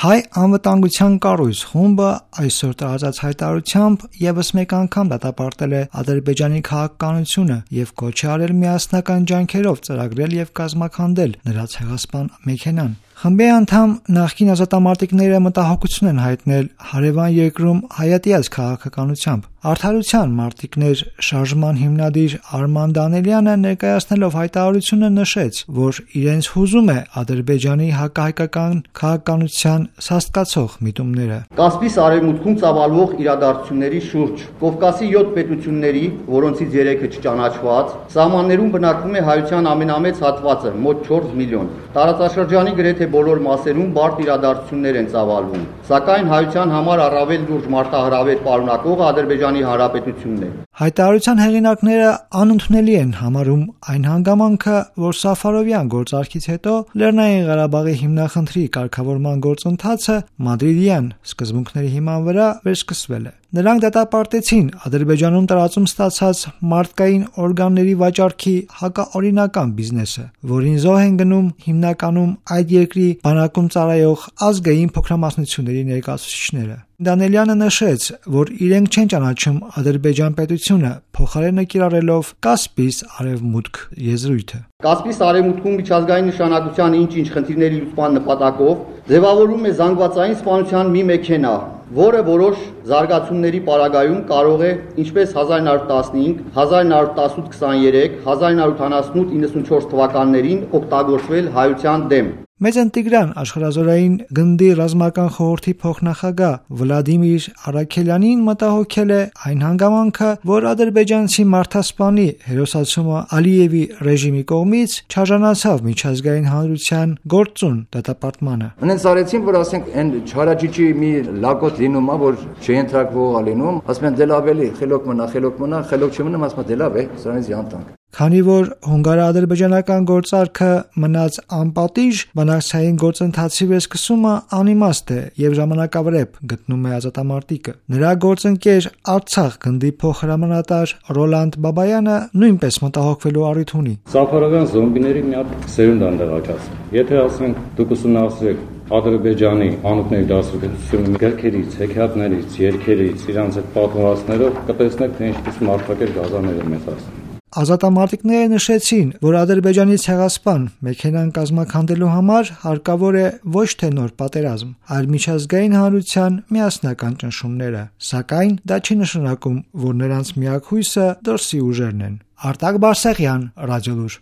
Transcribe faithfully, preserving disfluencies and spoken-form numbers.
Հայ անվտանգության կառույց խումբը այսօր տարածած հայտարարությամբ եւս մեկ անգամ դատապարտել է Ադրբեջանի քաղաքականությունը եւ կոչ է արել միասնական ջանքերով ծրագրել եւ կազմաքանդել նրա ցեղասպան մեքենան։ Խմբի անդամ նախկին ազատամարտիկները մտահոգություն են հայտնել հարևան երկրում հայատյաց քաղաքականությամբ։ Արդարության մարտիկներ շարժման հիմնադիր Արման Դանելյանը ներկայացնելով հայտարարությունը նշեց, որ իրենց հուզում է Ադրբեջանի հակահայկական քաղաքականության սաստկացող միտումները։ Կասպից արևմուտքում ծավալվող իրադարձությունների շուրջ Կովկասի յոթ պետությունների, որոնցից երեքը չճանաչված, սահմաններում բնակվում է հայության ամենամեծ հատվածը՝ մոտ չորս միլիոն։ Տարածաշրջանի գրեթե բոլոր մասերում բարդ իրադարձություններ են ծավալվում, սակայն հայության համար առավել լուրջ մարտահրավեր պարունակող Ադրբեջանի Հանրապետությունն է։ Հայտարարության հեղինակները անընդունելի են համարում այն հանգամանքը, որ Սաֆարովյան գործարքից հետո Լեռնային Ղարաբաղի հիմնախնդրի կարգավորման գործընթացը մադրիդյան սկզբունքների հիման վրա վերսկսվել է։ Նրանք դատապարտեցին Ադրբեջանում տարածում ստացած մարդկային օրգանների վաճառքի հակաօրինական բիզնեսը, որին զոհ են գնում հիմնականում այդ երկրի բանակում ծառայող ազգային փոքրամասնությունների ներկայացուցիչները։ Դանելյանը նշեց, որ իրենք չեն ճանաչում Ադրբեջան պետությունը, փոխարենը կիրառելով Կասպից արևմուտք եզրույթը։ Կասպից արևմուտքում միջազգային նշանակության ինչ-ինչ խնդիրների լուծման նպատակով ձևավորվում է զանգվածային սպանության մի մեքենա, որը որոշ զարգացումների պարագայում կարող է, ինչպես հազար նոց տասնհինգ, հազար նոց տասնութ քսաներեք, հազար նոց ութանասունութ իննսունչորս թվականներին օգտագործվել հայության դեմ։ Մեծն Տիգրան աշխարհազորային գնդի ռազմական խորհրդի փոխնախագահ Վլադիմիր Արաքելյանին մտահոգել է այն հանգամանքը, որ ադրբեջանցի մարդասպանի հերոսացումը Ալիևի ռեժիմի կողմից չարժանացավ միջազգային հանրության գործուն դատապարտմանը։ Ունեն արեցին, որ ասենք այն չարաճիճի մի լակոտ լինում է, որ չընտրակվող լինում, ասում են դե լավ էլի, խելոք մնա, խելոք մնա, խելոք չմնա, ասում դե լավ է, սրանից յանտանք։ Քանի որ հունգարա-ադրբեջանական գործարքը մնաց անպատիժ, բանակցային գործընթացի վերսկսումը անիմաստ է եւ ժամանակավրեպ, գտնում է ազատամարտիկը։ Նրա գործընկեր Արցախ գնդի փոխհրամանատար Ռոլանդ Բաբայանը նույնպես մտահոգվելու առիթ ունի։ Սաֆարովյան զոմբիների մի հատ սերունդ են տեղակայացել։ Եթե ասենք դուք ուսումնասիրեք Ադրբեջանի անուտների դասակցությունը գրքերից, հեքիաթներից, երգերից, իրանց այդ պատմվածքներով կտեսնեք, թե ինչպես մարդակեր գազանները մեծ ասեն։ Ազատամարտիկները նշեցին, որ Ադրբեջանի ցեղասպան մեքենան կազմաքանդելու համար հարկավոր է ոչ թե նոր պատերազմ, այլ միջազգային հանրության միասնական ճնշումները, սակայն դա չի նշանակում, որ նրանց միակ հույսը դրսի ուժերն են։ Արտակ Բարսեղյան, Ռադիոլուր։